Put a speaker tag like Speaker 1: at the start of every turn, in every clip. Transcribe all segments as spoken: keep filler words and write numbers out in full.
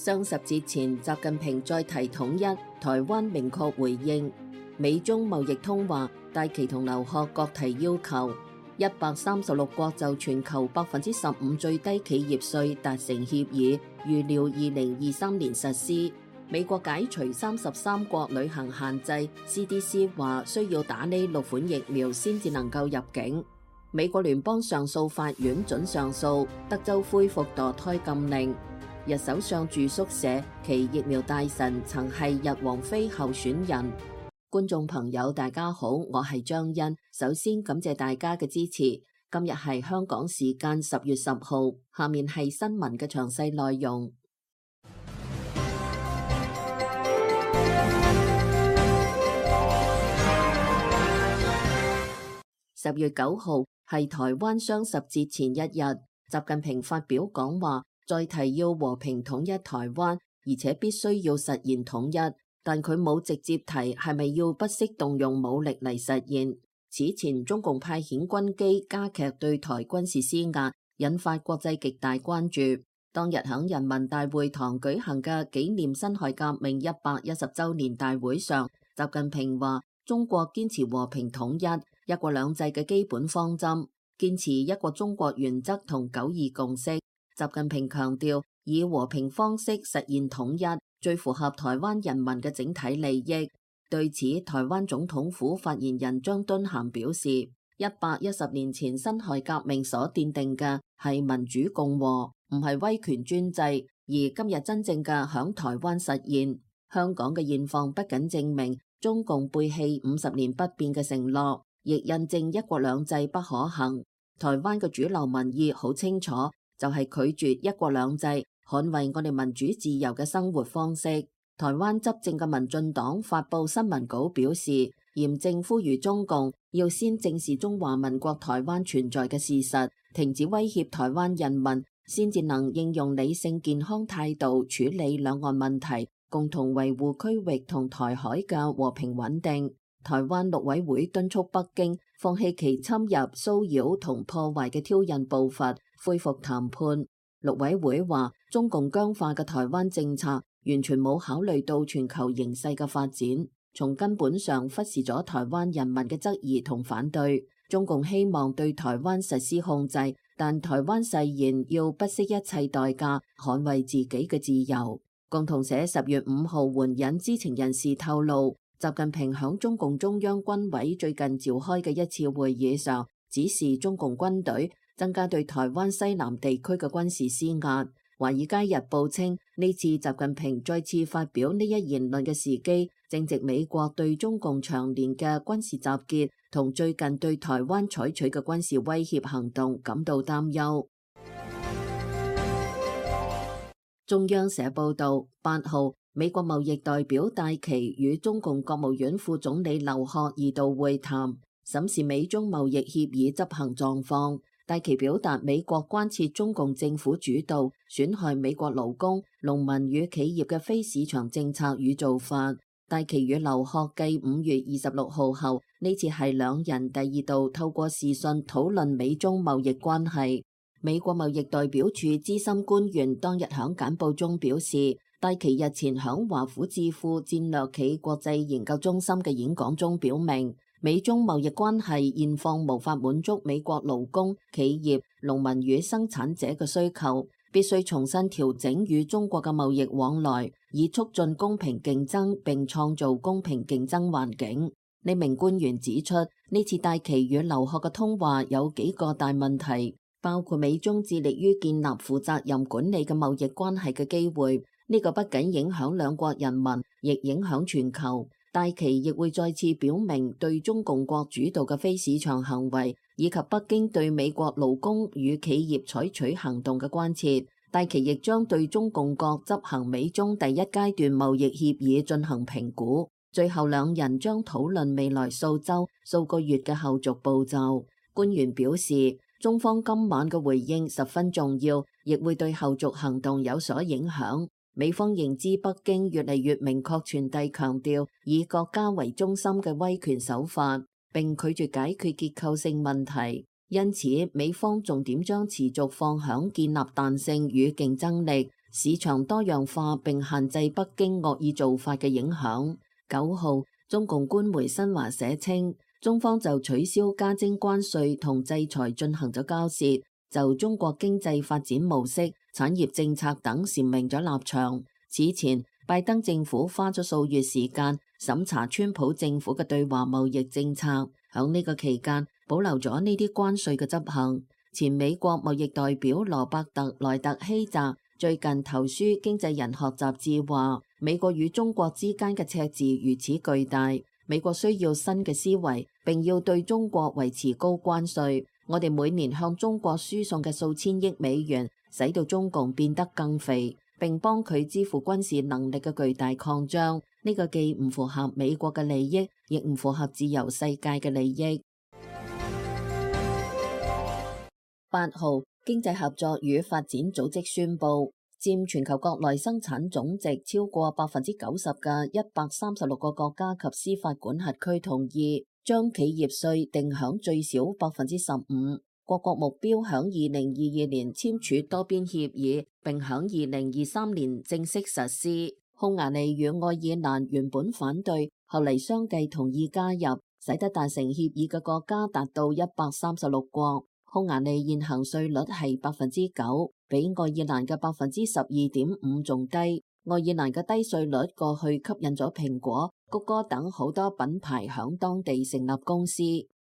Speaker 1: 雙十節前，習近平再提統一，台灣明確回應。美中貿易通話，戴琪同劉鶴各提要求。一百三十六國就全球百分之十五最低企業稅達成協議，預料二零二三年實施。美國解除三十三國旅行限制 ，C D C 話需要打呢六款疫苗先至能夠入境。美國聯邦上訴法院准上訴，德州恢復墮胎禁令。日首相住宿舍，其疫苗大臣曾係日王妃候選人。觀眾朋友大家好，我係張欣，首先感謝大家嘅支持。今日係香港時間十月十號，下面係新聞嘅詳細內容。十月九號係台灣雙十節前一日，習近平發表講話，再提要和平統一台灣，而且必須要實現統一，但佢冇直接提係咪要不惜動用武力嚟實現。此前中共派遣軍機加劇對台軍事施壓，引發國際極大關注。當日喺人民大會堂舉行嘅紀念辛亥革命一百一十週年大會上，習近平話中國堅持和平統一、一國兩制嘅基本方針，堅持一個中國原則同九二共識。習近平強調，以和平方式實現統一，最符合台灣人民嘅整體利益。對此，台灣總統府發言人張敦涵表示，一百一十年前辛亥革命所奠定嘅係民主共和，唔係威權專制，而今日真正嘅響台灣實現。香港嘅現況不僅證明中共背棄五十年不變嘅承諾，亦印證一國兩制不可行。台灣嘅主流民意好清楚，就係拒絕一國兩制，捍衛我哋民主自由嘅生活方式。台灣執政嘅民進黨發佈新聞稿表示，嚴正呼籲中共要先正視中華民國台灣存在嘅事實，停止威脅台灣人民，先至能應用理性健康態度處理兩岸問題，共同維護區域同台海嘅和平穩定。台灣陸委會敦促北京放棄其侵入、騷擾同破壞嘅挑釁步伐，恢復談判。陸委會話，中共僵化嘅台灣政策完全冇考慮到全球形勢嘅發展，從根本上忽視咗台灣人民嘅質疑同反對。中共希望對台灣實施控制，但台灣誓言要不惜一切代價捍衛自己嘅自由。共同社十月五號援引知情人士透露，習近平響中共中央軍委最近召開嘅一次會議上，指示中共軍隊增加對台灣西南地區嘅軍事施壓。華爾街日報稱，呢次習近平再次發表呢一言論嘅時機，正值美國對中共長年嘅軍事集結同最近對台灣採取嘅軍事威脅行動感到擔憂。中央社報道，八號美國貿易代表戴琪與中共國務院副總理劉鶴二度會談，審視美中貿易協議執行狀況。戴琪表達美國關切中共政府主導損害美國勞工、農民與企業嘅非市場政策與做法。戴琪與劉鶴繼五月二十六號後，呢次係兩人第二度透過視訊討論美中貿易關係。美國貿易代表處資深官員當日響簡報中表示，戴琪日前響華府智庫戰略企國際研究中心嘅演講中表明，美中貿易關係現況無法滿足美國勞工、企業、農民與生產者嘅需求，必須重新調整與中國嘅貿易往來，以促進公平競爭並創造公平競爭環境。呢名官員指出，呢次戴琪與劉鶴嘅通話有幾個大問題，包括美中致力於建立負責任管理嘅貿易關係嘅機會，呢個不僅影響兩國人民，亦影響全球。戴琪亦會再次表明對中共國主導嘅非市場行為，以及北京對美國勞工與企業採取行動嘅關切。戴琪亦將對中共國執行美中第一階段貿易協議進行評估。最後兩人將討論未來數週、數個月嘅後續步驟。官員表示，中方今晚嘅回應十分重要，亦會對後續行動有所影響。美方認知北京越嚟越明確傳遞強調以國家為中心嘅威權手法，並拒絕解決結構性問題。因此，美方重點將持續放響建立彈性與競爭力，市場多樣化並限制北京惡意做法嘅影響。九號，中共官媒新華社稱，中方就取消加徵關稅同制裁進行咗交涉，就中國經濟發展模式、產業政策等闡明咗立場。此前，拜登政府花咗數月時間審查川普政府嘅對華貿易政策，響呢個期間保留咗呢啲關稅嘅執行。前美國貿易代表羅伯特萊特希澤最近投書《經濟人學雜誌》話，美國與中國之間嘅赤字如此巨大，美國需要新嘅思維，並要對中國維持高關稅。我哋每年向中國輸送嘅數千億美元，使到中共變得更肥，並幫佢支付軍事能力嘅巨大擴張。呢個既唔符合美國嘅利益，亦唔符合自由世界嘅利益。八號，經濟合作與發展組織宣布，佔全球國內生產總值超過百分之九十嘅一百三十六個國家及司法管轄區同意將企業稅定響最少百分之十五。各國目標響二零二二年簽署多邊協議，並響二零二三年正式實施。匈牙利與愛爾蘭原本反對，後嚟相繼同意加入，使得達成協議嘅國家達到一百三十六國。匈牙利現行稅率係百分之九，比愛爾蘭嘅百分之十二點五仲低。愛爾蘭嘅低稅率過去吸引咗蘋果、谷歌等好多品牌響當地成立公司。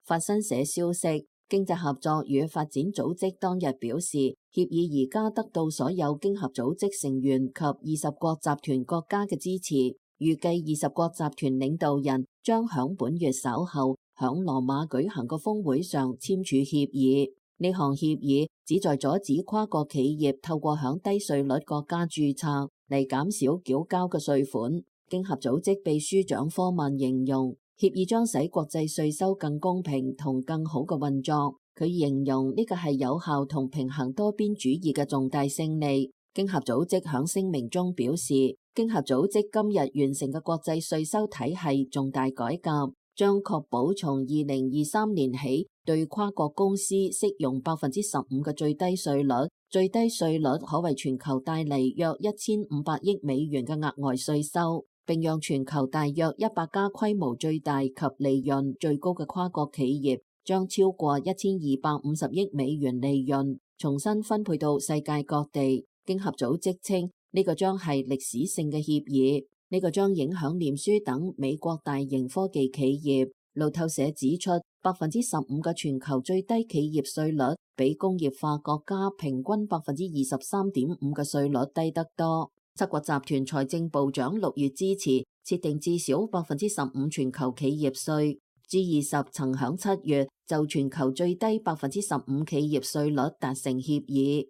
Speaker 1: 法新社消息，經濟合作與發展組織當日表示，協議而家得到所有經合組織成員及二十國集團國家嘅支持，預計二十國集團領導人將響本月稍後響羅馬舉行個峰會上簽署協議。呢項協議旨在阻止跨國企業透過響低稅率國家註冊嚟減少繳交嘅稅款。經合組織秘書長科曼形容，協議將使國際稅收更公平同更好嘅運作。佢形容呢個係有效同平衡多邊主義嘅重大勝利。經合組織響聲明中表示，經合組織今日完成嘅國際稅收體系重大改革，將確保從二零二三年起對跨國公司適用百分之十五嘅最低稅率，最低稅率可為全球帶嚟約一千五百億美元嘅額外稅收，並讓全球大約一百家規模最大及利潤最高嘅跨國企業將超過一千二百五十億美元利潤重新分配到世界各地。經合組織稱呢個將係歷史性嘅協議。呢個將影響臉書等美國大型科技企業。路透社指出，百分之十五嘅全球最低企業稅率比工業化國家平均百分之二十三點五嘅稅率低得多。七國集團財政部長六月支持設定至少百分之十五全球企業稅。G 二十曾響七月就全球最低百分之十五企業稅率達成協議。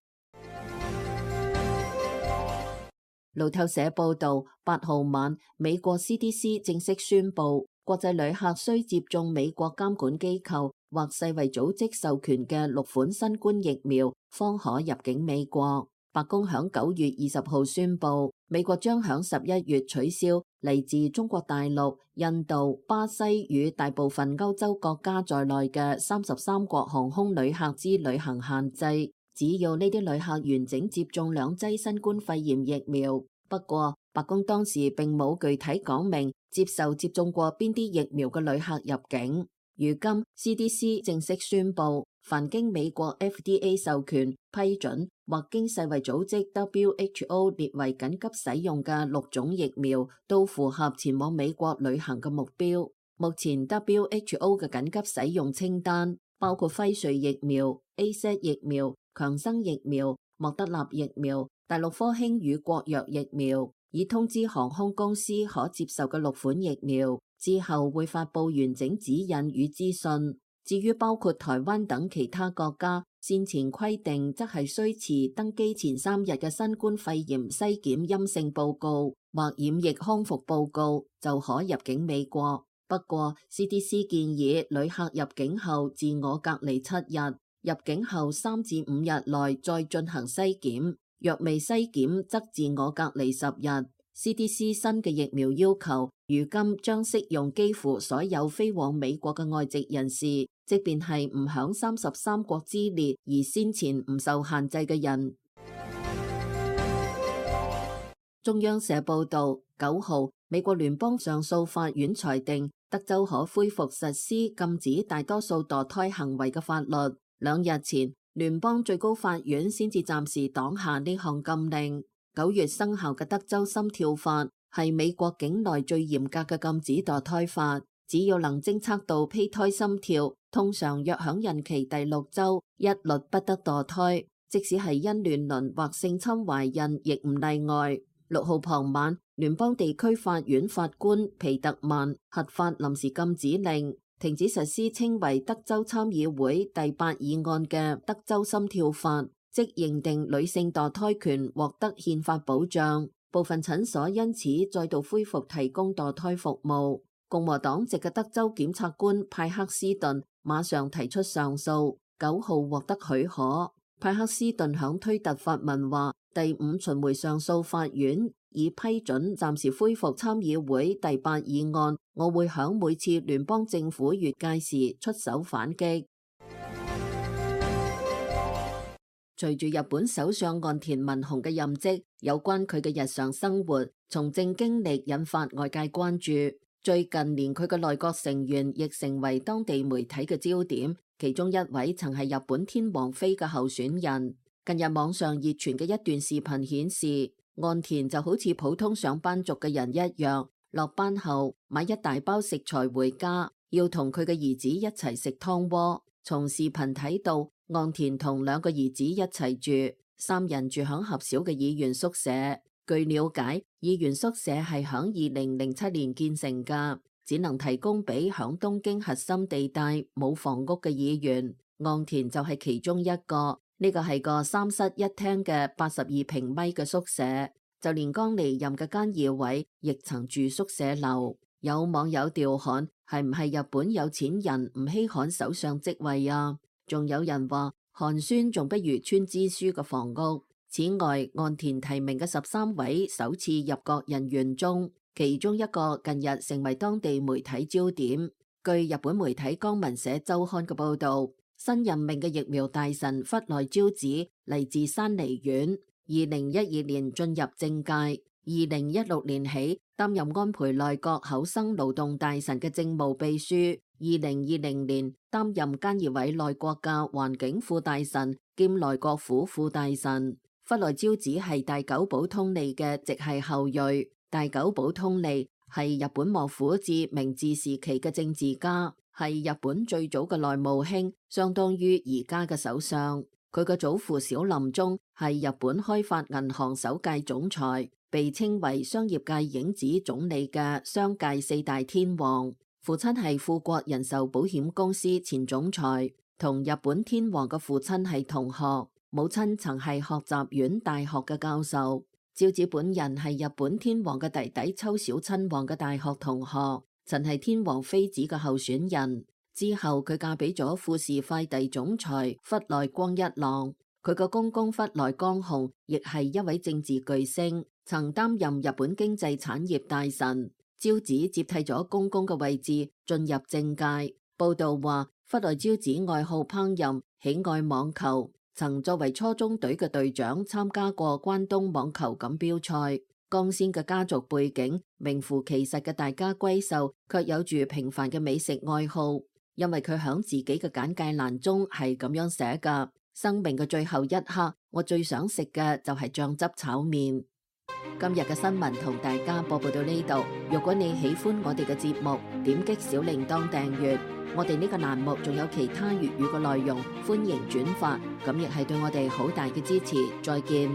Speaker 1: 路透社報道，八號晚，美國 C D C 正式宣布，國際旅客需接種美國監管機構或世衛組織授權嘅六款新冠疫苗，方可入境美國。白宮響九月二十號宣布，美國將響十一月取消嚟自中國大陸、印度、巴西與大部分歐洲國家在內嘅三十三國航空旅客之旅行限制。只要呢啲旅客完整接種兩劑新冠肺炎疫苗。不過，白宮當時並冇具體講明接受接種過邊啲疫苗嘅旅客入境。如今 C D C 正式宣布，凡經美國 F D A 授權批准或經世衛組織 W H O 列為緊急使用嘅六種疫苗，都符合前往美國旅行嘅目標。目前 W H O 嘅緊急使用清單包括輝瑞疫苗、A Z 疫苗、強生疫苗、莫德納疫苗、大陸科興與國藥疫苗，已通知航空公司可接受嘅六款疫苗，之後會發布完整指引與資訊。至於包括台灣等其他國家，先前規定則係需持登機前三日嘅新冠肺炎篩檢陰性報告或染疫康復報告，就可入境美國。不過 C D C 建議旅客入境後自我隔離七日，入境後三至五日內再進行篩檢，若未篩檢則自我隔離十日。C D C 新嘅疫苗要求，如今將適用幾乎所有飛往美國嘅外籍人士，即便係唔響三十三國之列而先前唔受限制嘅人。中央社報道，九號美國聯邦上訴法院裁定德州可恢復實施禁止大多數墮胎行為嘅法律。兩日前，聯邦最高法院先至暫時擋下呢項禁令。九月生效嘅德州心跳法係美國境內最嚴格嘅禁止墮胎法，只要能偵測到胚胎心跳，通常約響孕期第六週，一律不得墮胎，即使係因亂倫或性侵懷孕，亦唔例外。六號傍晚，聯邦地區法院法官皮特曼核發臨時禁止令，停止實施稱為德州參議會第八議案嘅德州心跳法，即認定女性墮胎權獲得憲法保障。部分診所因此再度恢復提供墮胎服務。共和黨籍嘅德州檢察官派克斯頓馬上提出上訴，九號獲得許可。派克斯頓響推特發文話，第五巡迴上訴法院已批准暫時恢復參議會第八議案，我會響每次聯邦政府越界時出手反擊。隨住日本首相岸田文雄嘅任職，有關佢嘅日常生活、從政經歷引發外界關注。最近連佢嘅內閣成員亦成為當地媒體嘅焦點，其中一位曾係日本天皇妃嘅候選人。近日網上熱傳嘅一段視頻顯示，岸田就好似普通上班族嘅人一樣，落班後買一大包食材回家，要同佢嘅兒子一齊食湯鍋。從視頻睇到，岸田同兩個兒子一齊住，三人住響狹小嘅議員宿舍。據了解，議員宿舍係響二零零七年建成㗎，只能提供俾響東京核心地帶冇房屋嘅議員。岸田就係其中一個。呢個係個三室一廳嘅八十二平米嘅宿舍，就連剛離任嘅菅義偉亦曾住宿舍樓。有網友調侃，係唔係日本有錢人唔稀罕首相職位啊？仲有人話寒酸仲不如村支書嘅房屋。此外，岸田提名嘅十三位首次入閣人員中，其中一個近日成為當地媒體焦點。據日本媒體江文社週刊嘅報道，新任命嘅疫苗大臣忽內昭子嚟自山梨縣，二零一二年進入政界，二零一六年起擔任安倍內閣厚生勞動大臣嘅政務秘書，二零二零年擔任菅義偉內閣嘅環境副大臣兼內閣府副大臣。忽內昭子係大久保通利嘅直系後裔，大久保通利係日本幕府至明治時期嘅政治家，係日本最早嘅內務卿，相當於而家嘅首相。佢嘅祖父小林忠係日本開發銀行首屆總裁，被稱為商業界影子總理嘅商界四大天王。父親係富國人壽保險公司前總裁，同日本天皇嘅父親係同學。母親曾係學習院大學嘅教授。昭子本人係日本天皇嘅弟弟秋小親王嘅大學同學，曾係天皇妃子嘅候選人。之後佢嫁俾咗富士快遞總裁忽內光一郎。佢個公公忽內光雄亦係一位政治巨星，曾擔任日本經濟產業大臣。昭子接替咗公公嘅位置，進入政界。報道話，忽內昭子愛好烹飪，喜愛網球。曾作為初中隊嘅隊長參加過關東網球錦標賽。光鮮嘅家族背景，名副其實嘅大家閨秀，卻有住平凡嘅美食愛好。因為佢響自己嘅簡介欄中係咁樣寫㗎：生命嘅最後一刻，我最想食嘅就係醬汁炒麵。今日嘅新聞同大家播報到呢度。如果你喜歡我哋嘅節目，點擊小鈴鐺訂閱。我哋呢個欄目仲有其他粵語嘅內容，歡迎轉發，咁亦係對我哋好大嘅支持。再見。